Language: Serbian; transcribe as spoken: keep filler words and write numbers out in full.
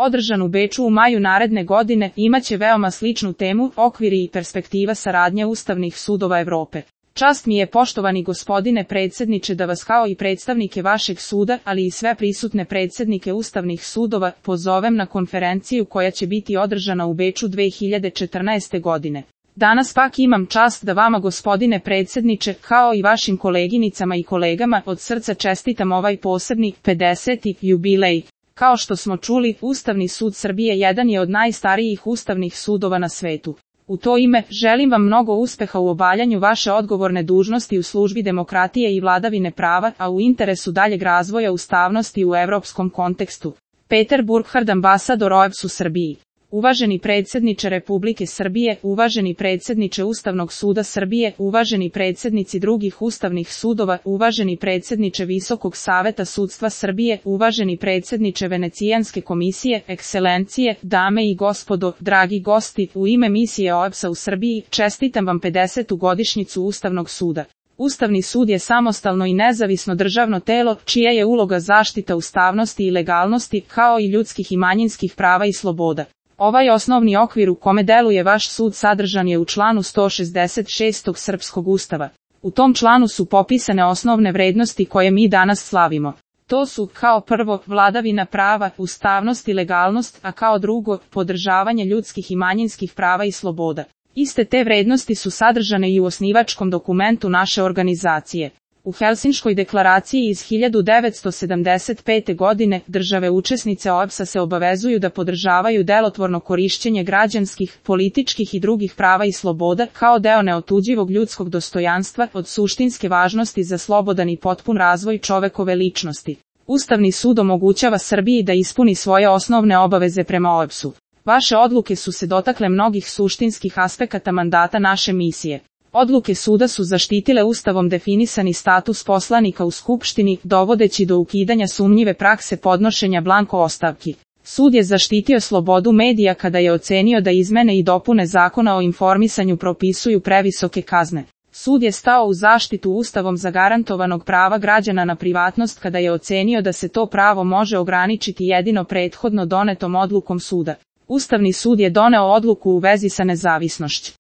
održan u Beču u maju naredne godine, imaće veoma sličnu temu, okviri i perspektiva saradnje ustavnih sudova Evrope. Čast mi je, poštovani gospodine predsjedniče, da vas kao i predstavnike vašeg suda, ali i sve prisutne predsjednike ustavnih sudova, pozovem na konferenciju koja će biti održana u Beču dve hiljade četrnaeste. godine. Danas pak imam čast da vama, gospodine predsjedniče, kao i vašim koleginicama i kolegama, od srca čestitam ovaj posebni, pedeseti jubilej. Kao što smo čuli, Ustavni sud Srbije jedan je od najstarijih ustavnih sudova na svetu. U to ime, želim vam mnogo uspeha u obavljanju vaše odgovorne dužnosti u službi demokratije i vladavine prava, a u interesu daljeg razvoja ustavnosti u evropskom kontekstu. Peter Burkhard, ambasador O E B S u Srbiji. Uvaženi predsjedniče Republike Srbije, uvaženi predsjedniče Ustavnog suda Srbije, uvaženi predsjednici drugih ustavnih sudova, uvaženi predsjedniče Visokog saveta sudstva Srbije, uvaženi predsjedniče Venecijanske komisije, ekscelencije, dame i gospodo, dragi gosti, u ime misije O E B S-a u Srbiji, čestitam vam pedesetu godišnjicu Ustavnog suda. Ustavni sud je samostalno i nezavisno državno telo, čija je uloga zaštita ustavnosti i legalnosti, kao i ljudskih i manjinskih prava i sloboda. Ovaj osnovni okvir u kome deluje vaš sud sadržan je u članu sto šezdeset šest. Srpskog ustava. U tom članu su popisane osnovne vrednosti koje mi danas slavimo. To su, kao prvo, vladavina prava, ustavnost i legalnost, a kao drugo, podržavanje ljudskih i manjinskih prava i sloboda. Iste te vrednosti su sadržane i u osnivačkom dokumentu naše organizacije. U Helsinškoj deklaraciji iz hiljadu devetsto sedamdeset pete. godine države učesnice O E B S-a se obavezuju da podržavaju delotvorno korišćenje građanskih, političkih i drugih prava i sloboda kao deo neotuđivog ljudskog dostojanstva od suštinske važnosti za slobodan i potpun razvoj čovekove ličnosti. Ustavni sud omogućava Srbiji da ispuni svoje osnovne obaveze prema O E B S-u. Vaše odluke su se dotakle mnogih suštinskih aspekata mandata naše misije. Odluke suda su zaštitile Ustavom definisani status poslanika u Skupštini, dovodeći do ukidanja sumnjive prakse podnošenja blanko ostavki. Sud je zaštitio slobodu medija kada je ocenio da izmene i dopune Zakona o informisanju propisuju previsoke kazne. Sud je stao u zaštitu Ustavom zagarantovanog prava građana na privatnost kada je ocenio da se to pravo može ograničiti jedino prethodno donetom odlukom suda. Ustavni sud je doneo odluku u vezi sa nezavisnošću